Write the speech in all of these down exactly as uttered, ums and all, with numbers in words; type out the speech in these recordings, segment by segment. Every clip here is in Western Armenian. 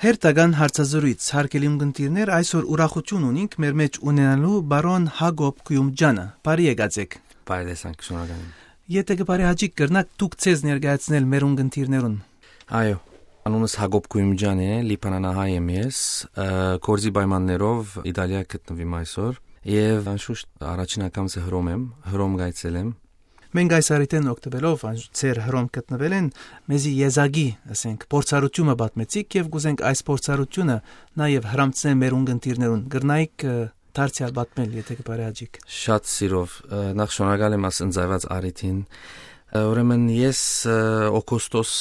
Հերթական հարցազրոյց, հարգելի ունկնդիրներ, այսօր ուրախութիւն ունինք մեր մէջ ունենալու պարոն Յակոբ Կուիումջանը։ Բարի եկած եք։ Բարի տեսանք, շնորհակալ եմ։ Եթէ կը բարեհաճիք, կրնաք դուք ձեզ ներկայացնել մեր ունկնդիրներուն։ Այո, անունս Յակոբ Կուիումջան է, լիբանանահայ եմ ես, ը, գործի պայմաններով Իտալիա գտնուիմ այսօր, եւ անշուշտ առաջին անգամ ձեր հռոմ եմ, հռոմ գայցել եմ։ Մենք այս առիթէն օգտուելով, անշուշտ ձեր հռոմ գտնուելէն, մեզի եզակի, ասենք, փորձառութիւնը պատմեցիք եւ կուզենք այս փորձառութիւնը նաեւ հրամցնել մեր ունկնդիրներուն։ Կրնայիք, ը, դարձեալ պատմել, եթէ կը բարեհաճիք։ Շատ սիրով, ը, նախ շնորհակալ եմ այս ընծայված առիթին։ Ը, ուրեմն ես, ը, օգոստոս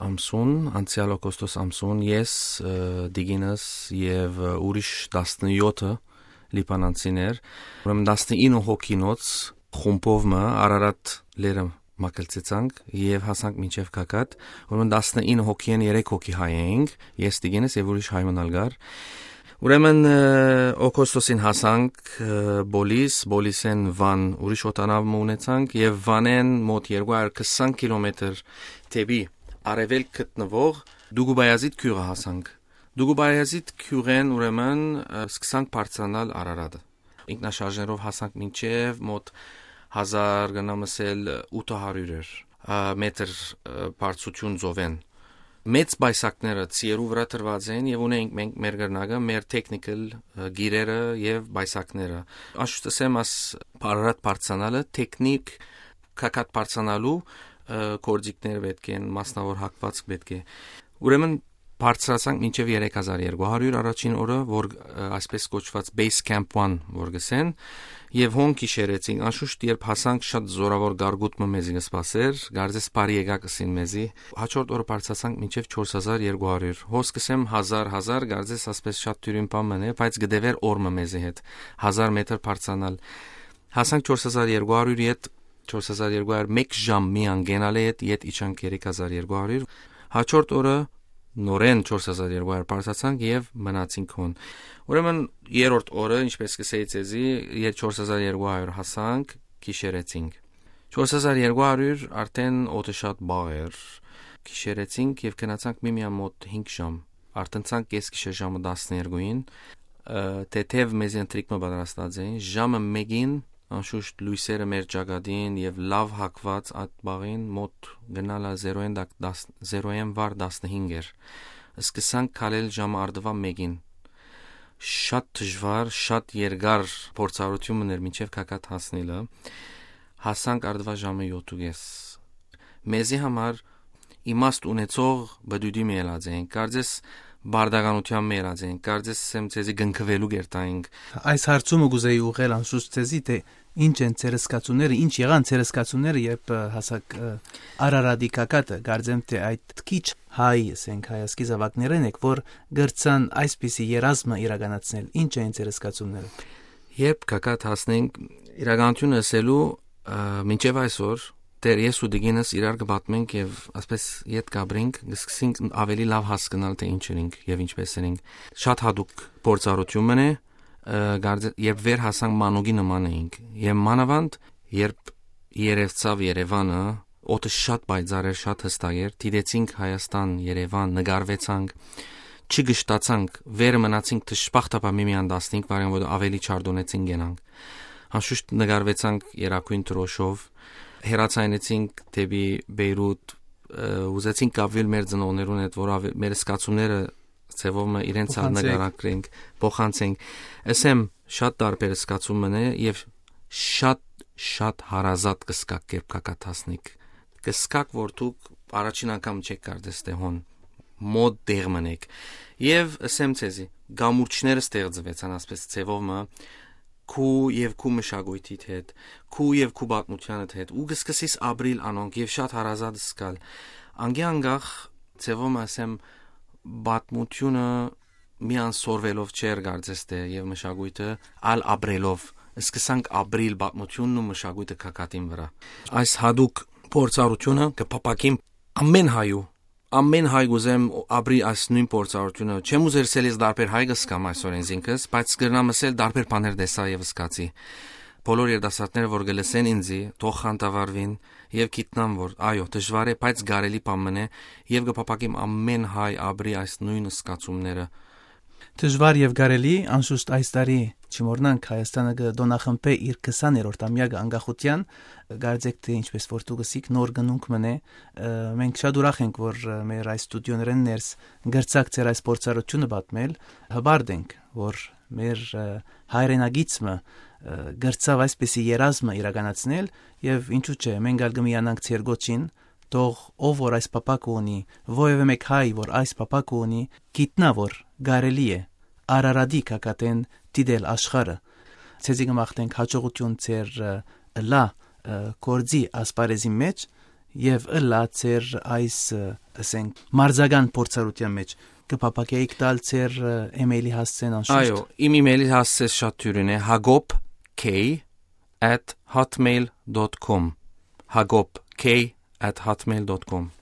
ամսուն, անցեալ օգոստոս ամսուն ես, ը, տիկինս եւ, ը, ուրիշ տասնեօթը լիբանանցիներ, ուրեմն տասնինը հոգինոց խումբով մը Արարատ լերը մագլցեցանք եւ հասանք մինչեւ Քաքատ, ուրեմն տասնինը հոգիէն երեք հոգի հայ էինք, ես, տիկինս եւ ուրիշ հայ մըն ալ կար։ Ուրեմն, ը, օգոստոսին հասանք, ը, Պոլիս, Պոլիսէն Վան ուրիշ օտանաւ մը ունեցանք եւ Վանէն մօտ երկու հարյուր քսան կիլոմեթր դէպի արեւելք գտնուող Դուկուբայազիտ գիւղը հասանք։ Դուկուբայազիտ գիւղէն ուրեմն, ը, սկսանք բարձրանալ Արարատը։ Ինքնաշարժներով հասանք մինչեւ մօտ հազար, կրնամ ըսել, ութը հարյուր էր, ա, մետր, ը, բարձրութիւն ծովէն։ Մեծ պայսակները ծիերու վրայ դրուած են եւ ունենք մենք մեր կրնակը, մեր technical, ը, գիրերը եւ պայսակները։ Անշուշտ ասեմ, աս Արարատ բարձրանալը, թեքնիկ Քաքատ բարձրանալու, ը, գործիքներ պէտք են, մասնաւոր հագուածք պէտք է։ Ուրեմն բարձրացանք մինչեւ երեք հազար երկու հարյուր առաջին օրը, որ, ը, այսպես կոչուած Base Camp One, որ գսեն, եւ հոն գիշերեցինք։ Անշուշտ, երբ հասանք, շատ զօրաւոր գարգուտ մը մեզի կը սպասէր, կարծես բարի եկաք ըսին մեզի։ Հաջորդ օրը բարձրացանք մինչեւ չորս հազար երկու հարյուր։ Հոս կսեմ հազար, հազար, կարծես ասպես շատ դիւրին բան մըն է, բայց կը տեւէր օր մը մեզի հետ, հազար մետր բարձրանալ։ Հասանք չորս հազար երկու հարյուր, ետ չորս հազար երկու հարյուր, մէկ ժամ միան կենալէ, ետ, ետ իջանք երեք հազար երկու հարյուր։ Հաջորդ օրը նորէն չորս հազար երկու հարյուր բարձրացանք եւ մնացինք հոն։ Ուրեմն երրորդ օրը, ինչպես կսեի ձեզի, ետ չորս հազար երկու հարյուր հասանք, գիշերեցինք։ Չորս հազար երկու հարյուր արդեն օդը շատ բաղ էր։ Գիշերեցինք եւ գնացանք միմիան մօտ հինգ ժամ։ Արդնցանք կես գիշեր ժամը տասներկուին, ը, թեթեւ մեզի ընթրիք մը պատրաստած էին։ Ժամը մէկին, անշուշտ, լոյսերը մեր ճակատին եւ լաւ հագուած այդ բաղին մօտ գնալը զերոյէն տակ տաս-, զերոյէն վար տասնհինգ էր։ Սկսանք քալել ժամը առտվա մէկին։ Շատ դժուար, շատ երկար փորձառութիւն մըն էր մինչեւ Քաքատ հասնելը։ Հասանք առտվա ժամը յոթ ու կես։ Մեզի համար իմաստ ունեցող բդուդի մը ելած ենք, կարծես բարդականութեան մը ելած ենք, կարծես սեմ ձեզի կնքուելու կերտայինք։ Այս հարցումը կուզեի ուղղել անշուշտ ձեզի, թէ ինչ են ձեր զգացումները, ինչ եղան ձեր զգացումները, երբ, ը, հասաք, ը, Արարատի Քաքատը, կարծեմ թէ այդ քիչ հայ, ասենք, հայազգի զաւակներէն եք, որ կրցան այսպիսի երազմը իրականացնել, ինչ էին ձեր զգացումները։ Երբ Քաքատ հասնենք, իրականութիւնը ըսելու, ը, մինչեւ այսօր, դեռ ես ու տիկինս իրար կը պատմենք եւ ասպես ետ կապրենք, կսկսենք ավելի լաւ հասկնալ, թէ ինչ ենք եւ ինչպես ենք։ Շատ յատուկ փորձառութիւն մըն է, ը, կարծե-, երբ վեր հասանք մանուկի նման էինք, եւ մանաւանդ, երբ երեւցաւ Երեւանը, օդը շատ պայծառ էր, շատ յստակ էր, դիտեցինք Հայաստան, Երեւան, նկարվեցանք, չգշտացանք, վերը մնացինք դժբախտաբար միմիան տասնհինգ վարյան, որ ավելի չարդոնեցին գնանք։ Անշուշտ նկարվեցանք երակույն դրոշով, հեռացայնեցինք դեպի Բեյրութ, ը, ուզեցինք կապվել մեր ծնողներուն հետ, որ ավ-, մեր զգացումները ձևով մը իրենց ալ փոխանցենք, նկարագրենք, փոխանցենք։ Ասեմ, շատ տարբեր զգացում մնե եւ շատ, շատ հարազատ կսկակ, երբ կակաթասնիկ։ Կսկակ, որ դուք առաջին անգամ չեք կարծես թե հոն մոտ դեղ մնեք։ Եւ ասեմ ձեզի, գամուրջները ստեղծվեցան, ասպես, ձևով մը, քու եւ քու մշակույթիդ հետ, քու եւ քու պատմությանդ հետ, ու կսկսես ապրիլ անոնք եւ շատ հարազատ զգալ։ Անկի անկախ ձևով մը, ասեմ, պատմությունը միան սորվելով չէր կարծես թե, եւ մշակույթը ալ ապրելով, սկսանք ապրիլ պատմությունն ու մշակույթը քակատին վրա։ Այս հատուկ փորձառությունը կփափակին ամեն հայու, ամեն հայ կուզեմ ապրի այս նույն փորձառությունը։ Չեմ ուզեր ասել ես դարբեր հայ կսկամ այսօր ինքս, բայց կրնամ ասել դարբեր բաներ տեսա եւ սկացի։ բոլոր երիտասարդները, որ կը լսեն ինձի, թող խանդավառուին եւ գիտնան, որ այո, դժուար է, բայց կարելի բան մնե, եւ կը փափակեմ ամեն հայ ապրի այս նոյն զգացումները։ Դժուար եւ կարելի, անշուշտ այս տարի, չմոռնանք, Հայաստանը կը տօնախմբէ իր քսաներորդ ամեակը անկախութեան, կարծեք թէ ինչպես որ դուք ըսիք, նոր գնունք մնե, ը, մենք շատ ուրախ ենք, որ, ը, մեր այս ստուդիոներէն ներս կրցակ ձեր այս փորձառութիւնը պատմել, հպարտ ենք, որ մեր, ը, հայրենակիցը, ը, կրցաւ այսպիսի երազը իրականացնել, եւ ինչու՞ չէ, մենք ալ կը միանանք ձեր կոչին, թող ով որ այս փափակը ունի, որեւէ մէկ հայ որ այս փափակը ունի, գիտնայ որ կարելի է Արարատի գագաթէն դիտել աշխարհը։ Ձեզի կը մաղթենք հաջողութիւն ձեր, ը, ըլլայ, ը, գործի ասպարէզին մէջ եւ ըլլայ ձեր այս, ը, ասենք, մարզական փորձառութեան մէջ։ Կը փափակէիք տալ ձեր, ը, email-ի հասցէն անշուշտ։ Այո, իմ email-ի հասցէս շատ դիւրին է, Հակոբ K at hotmail dot com, Հակոբ K at hotmail dot com։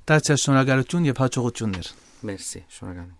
Դարձյալ շնորհակալութիւն եւ հաջողութիւններ։ Մերսի, շնորհակալ եմ։